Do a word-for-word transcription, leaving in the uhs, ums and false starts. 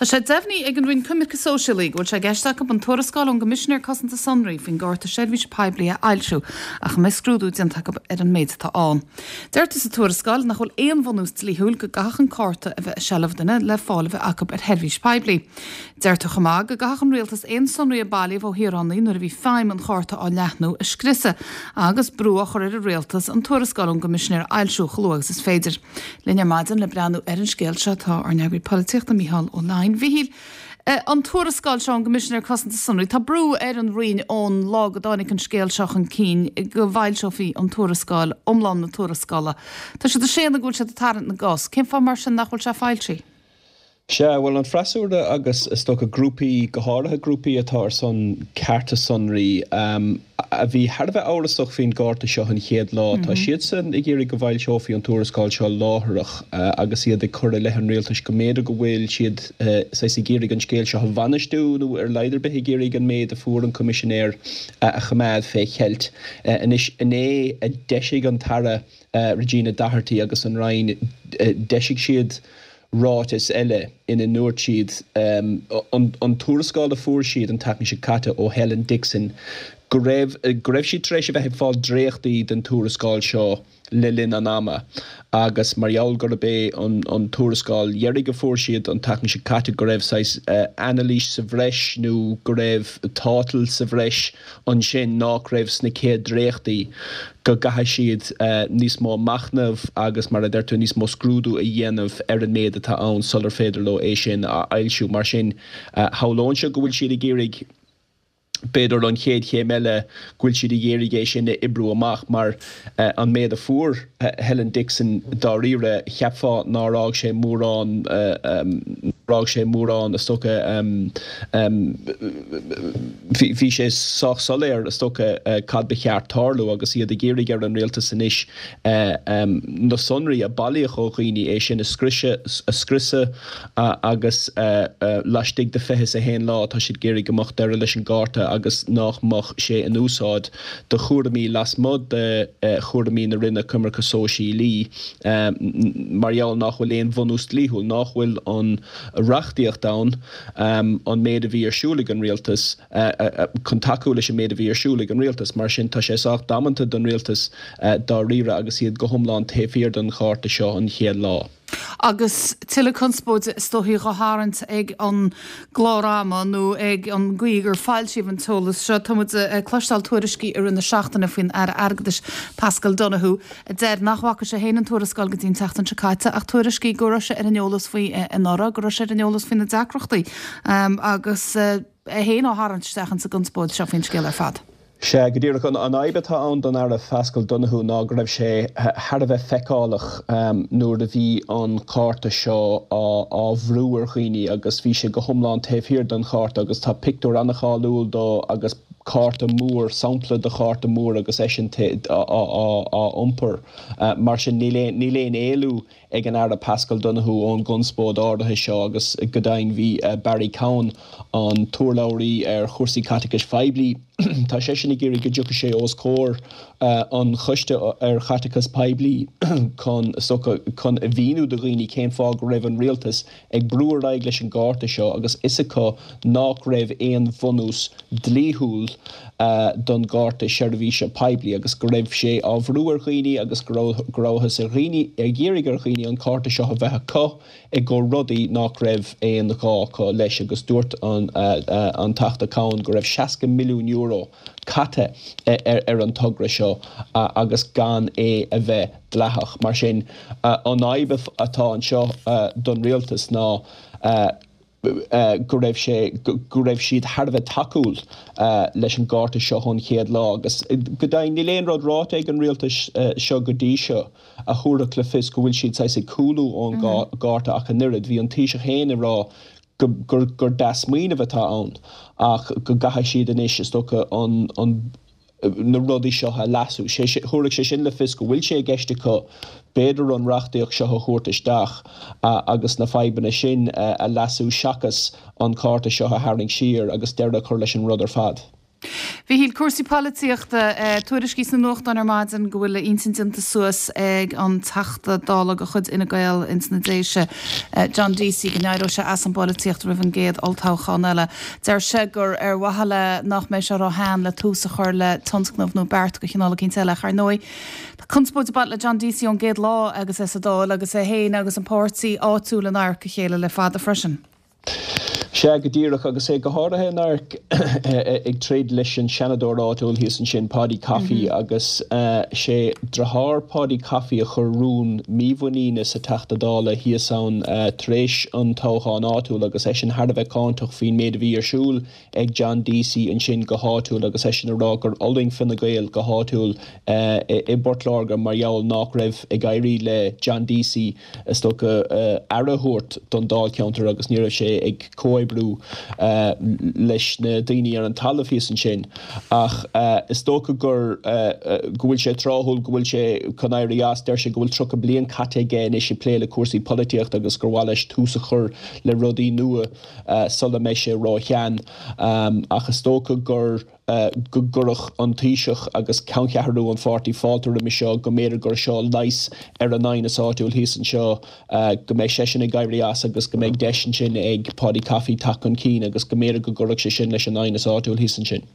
Tá sé deimhnithe ag an Roinn Coimirce Sóisialaí go bhfuil sé i gceist acu an tuarascáil ón gCoimisinéir Cosanta Sonraí faoin gcárta seirbhíse poiblí a fhoilsiú ach mbeidh scrúdú déanta acu ar an méid atá ann. Deirtear sa tuarascáil nach bhfuil aon bhunús dlíthiúil go gcaithfeadh an cárta a bheith i seilbh duine le fáil a bheith acu ar sheirbhís poiblí. Deirtear chomh maith go gcaithfeadh an rialtas aon sonraí a bailíodh ó shaoránaigh nuair a bhí feidhm an chárta á leathnú a scriosadh agus brú á chur ar an rialtas an tuarascáil ón gCoimisinéir a fhoilsiú chomh luath agus is féidir. Linn ar maidin le breathnú ar an scéal seo tá ár n-eagraí polaitíochta Mícheál Ó Laighin. Mhíchíl, an tuarascáil seo ón gCoimisinéir Cosanta Sonraí, tá brú ar an Roinn ón lá go dtáinig an scéal seo chun cinn go bhfoilseofaí an tuarascáil iomlán na tuarascála. Tá siad ag séanadh go bhfuil siad ag tarraingt na gcos. Cén fáth mar sin nach bhfuil sé foilsithe? Sea, bhuel an freasúra agus is dócha grúpaí, go háirithe grúpaí atá ar son cearta sonraí, a bhí thar a bheith amhrasach faoin gcárta seo an chéad lá, tá siadsan ag iarraidh go bhfoilseofaí an tuarascáil seo láithreach agus iad ag cur i leith an rialtais go mb'fhéidir go bhfuil siad saghas ag iarraidh an scéal seo a bhainistiú nó ar a laghad ar bith ag iarraidh an méid a fuair an Coimisinéir a choimeád fé cheilt. Anois, inné a d'eisigh an tAire Regina Doherty agus an Roinn, d'eisigh siad ráiteas eile ina ndúirt siad an tuarascáil a fuair siad an tseachtain seo caite ó Helen Dixon go raibh go raibh siad tar éis a bheith ag fáil dréachtaí den tuarascáil seo le linn an ama agus mar gheall gurb é an an tuarascáil dheiridh a fuair siad an tseachtain seo caite go raibh saghas anailís sa bhreis nó go raibh tátal sa bhreis ansin nach raibh sna chéad dréachtaí go gcaithfidh siad níos mó machnaimh agus mar a deir tú níos mó scrúdú a dhéanamh ar an méid atá ann sular féidir leo é sin a fhoilsiú. Mar sin, shamhlóinnse go bhfuil siad ag iarraidh b'fhéidir an chéad chéim eile go bhfuil siad ag iarraidh é sin a oibriú amach mar an méid a fuair Helen Dixon dáiríre cheapfá nár fhág sé mórán fhág sé mórán is dócha bhí sé sách soiléir is dócha cad ba cheart tarlú agus iad ag iarraidh ar an rialtas anois na sonraí a bailíodh ó dhaoine é sin a scriosadh a scriosadh agus laistigh de fiche is a haon lá tá siad ag iarraidh go mbeadh deireadh leis an gcárta agus nach mbeadh sé in úsáid do chúraimí lasmuigh de chúraimí na Roinne Coimirce Sóisialaí mar gheall nach bhfuil aon bhunús dlíthiúil, nach bhfuil an reachtaíocht ann an méid a bhí ar siúl ag an rialtas chun tacú leis an méid a bhí ar siúl ag an rialtas. Mar sin tá sé sách damanta don rialtas dáiríre agus iad go hiomlán taobh thiar den chárta seo an chéad lá. Agus tuilleadh conspóide is dóichí á tharraingt ag an gclár ama nó ag an gcaoi gur foilsíodh an t-eolas seo. Tá muid ag cloisteáil tuairiscí i rith na seachtaine faoin Aire Airgeadais Paschal Donohoe a deir nach bhfaca sé féin an tuarascáil go dtí an tseachtain seo caite ach tuairiscí go raibh sé ar an eolas faoi anuraidh, go raibh sé ar an eolas faoi na deacrachtaí agus é féin á tharraingt isteach insa gconspóid seo faoin scéal ar fad. Sea, go díreach. An fhadhb atá ann don Aire Paschal Donohoe ná go raibh sé thar a bheith feiceálach nuair a bhí an cárta seo á bhrú ar dhaoine agus bhí sé go hiomlán taobh thiar den chárta agus tá pictiúr an-cháiliúil dó agus cárta mór, sampla de chárta mór agus eisean á iompar. Mar sin níl aon éalú ag an Aire Paschal Donohoe ón gconspóid áirithe seo agus go deimhin bhí Barry Cowen, an t-urlabhraí ar chúrsaí caiteachais phoiblí, tá seisean ag iarraidh go dtiocfaidh sé os comhair an Choiste ar Chaiteachas Poiblí chun chun a mhíniú do dhaoine cén fáth go raibh an rialtas ag brú ar aghaidh leis an gcárta seo agus fhios acu nach raibh aon bhunús dlíthiúil don gcárta seirbhíse poiblí agus go raibh sé á bhrú ar dhaoine agus go rabhthas ar dhaoine ag iarraidh ar dhaoine an cárta seo a bheith acu i gcomhair rudaí nach raibh aon ghá acu leis agus dúirt an an Teachta Cowen go raibh seasca milliún euro caite ar an togra seo agus gan é a bheith dleathach. Mar sin, an fhadhb atá anseo don rialtas ná go raibh sé go raibh siad thar a bheith tacúil leis an gcárta seo ón chéad lá agus go deimhin níl aon rud ráite ag an rialtas seo go dtí seo a thabharfadh le fios go bhfuil siad saghas ag cúlú ón gcárta ach an oiread. Bhí an Taoiseach féin ag rá go gur gur dea-smaoineamh atá ann ach go gcaithfidh siad anois is dócha an an na rudaí seo a leasú. Thabharfadh sé sin le fios go bhfuil sé i gceist acu b'fhéidir an reachtaíocht seo a thabhairt isteach agus na fadhbanna sin a leasú seachas an cárta seo a tharraingt siar agus deireadh a chur leis an rud ar fad. Mhíchíl, cúrsaí polaitíochta, tuairiscí sna nuachtáin ar maidin go bhfuil a intinn déanta suas ag an Teachta Dála de chuid Fhine Gael ins na Déise, John Deasy, go n-éireoidh sé as an bpolaitíocht roimh an gcéad olltoghchán eile. Deir sé gur ar mhaithe le nach mbeidh sé ró-shean le tús a chur le tionscnamh nó beart de chineál eicínt eile. Ach ar ndóigh, tá conspóid ag baint le John Deasy ón gcéad lá agus é sa Dáil agus é féin agus an páirtí áitiúil in adharca a chéile le fada freisin. Sea, go díreach, agus é go háirithe in adharc ag troid leis an seanadóir áitiúil thíos ansin, Paudie Coffey, agus sé deartháir Paudie Coffey a chuir rún mímhuiníne sa Teachta Dála thíos ann tar éis an toghcháin áitiúil agus eisean thar a bheith cáinteach faoin méid a bhí ar siúl ag John Deasy ansin go háitiúil agus eisean ag rá gur fhulaing Fine Gael go háitiúil i bPort Láirge mar gheall nach raibh ag éirí le John Deasy is dócha aire a thabhairt don dáilcheantar agus ní raibh sé ag comhoibriú leis na daoine ar an talamh thíos ansin. Ach is dócha gur go bhfuil sé tráthúil go bhfuil sé chun éirí as. Deir sé go bhfuil tríocha bliain caite aige anois ag plé le cúrsaí polaitíochta agus gur mhaith leis tús a chur le rudaí nua sula mbeidh sé róshean. Ach is dócha gur go gcuirfeadh an Taoiseach agus ceanncheathrú an pháirtí fáilte roimhe seo, go mb'fhéidir gur seo leigheas ar an aighneas áitiúil thíos anseo, go mbeidh seisean ag éirí as agus go mbeidh deis ansin ag Paudie Coffey teacht chun cinn agus go mb'fhéidir go gcuirfeadh sé sin leis an aighneas áitiúil thíos ansin.